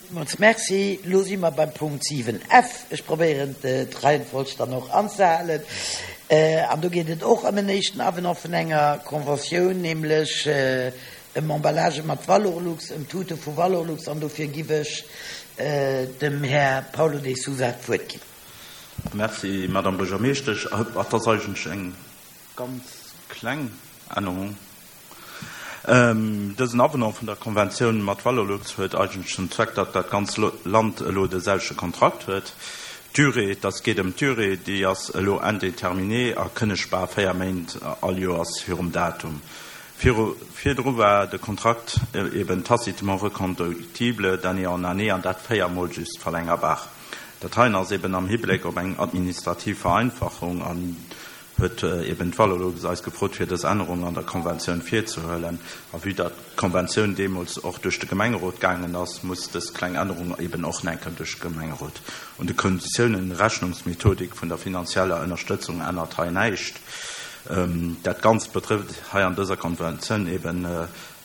Villmools Merci. Elo si mer beim Punkt 7 F. Ech probéieren d'Reihenfolg dann och anzehalen. An do geet et och ëm en éischten Avenant vun enger Conventioun, nämlech ëm Emballagë mat Valorlux, ëm Tute vu Valorlux. An dofir giff ech dem Här Paulo de Sousa d'Wuert ginn. Merci, Madame Buergermeeschtesch. Et ass eigentlech eng ganz kleng Ännerung. Dësen Avenant vun der Konventioun mat Valorlux huet eigentlech zum Zweck, datt dat ganz Land elo de selwechte Kontrakt huet. D'Durée, et ass geet ëm d'Durée, déi ass elo indéterminée a kënnegbar 4 Méint all Joers virum Datum. Viru virdru war de Kontrakt eben tacitement reconductible d'année en année an dat 4 Mol just verlängerbar. Dat heien ass eben am Hibléck op eng administrativ Vereinfachung an huet eben d'Valorlux eis gefrot, fir dës Ännerung an der Konventioun virzehuelen. A vue datt d'Konventioun deemools och duerch de Gemengerot gaangen ass, muss dës kleng Ännerung eben och nach eng Kéier duerch de Gemengerot. Un de Konditiounen, Rechnungsmethodik vun der finanzieller Ënnerstëtzung ännert hei näischt. Dat Ganzt betrëfft hei an dëser Konventioun eben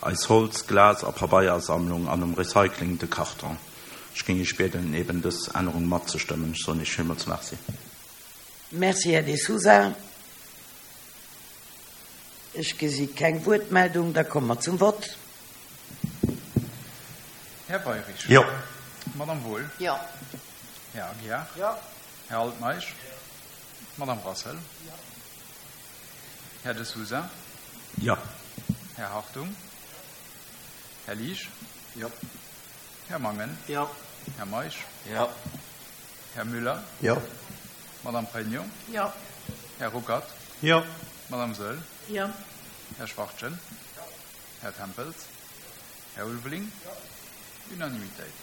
eis Holz-, Glas a Pabeiersammlung an um Recycling de Karton. Ech géing Iech bieden, eben dës Ännerung matzestëmmen. Ech soen Iech villmools Merci. Merci, Här De Sousa. Ech gesi keng Wuertmeldung. Da komme mer zum Vott. Här Weyrich. Jo. Madame Wohl. Jo. Här Aguiar. Jo. Här Altmeisch. Jo. Madame Rassel. Jo. Här De Sousa. Jo. Här Hartung. Här Liesch. Jo. Här Mangen. Jo. Här Meisch. Jo. Här Müller. Jo. Madame Pregno. Jo. Här Ruckert. Jo. Madame Saeul. Jo. Här Schwachtgen. Jo. Här Tempels. Här Ulveling. Jo. Unanimitéit.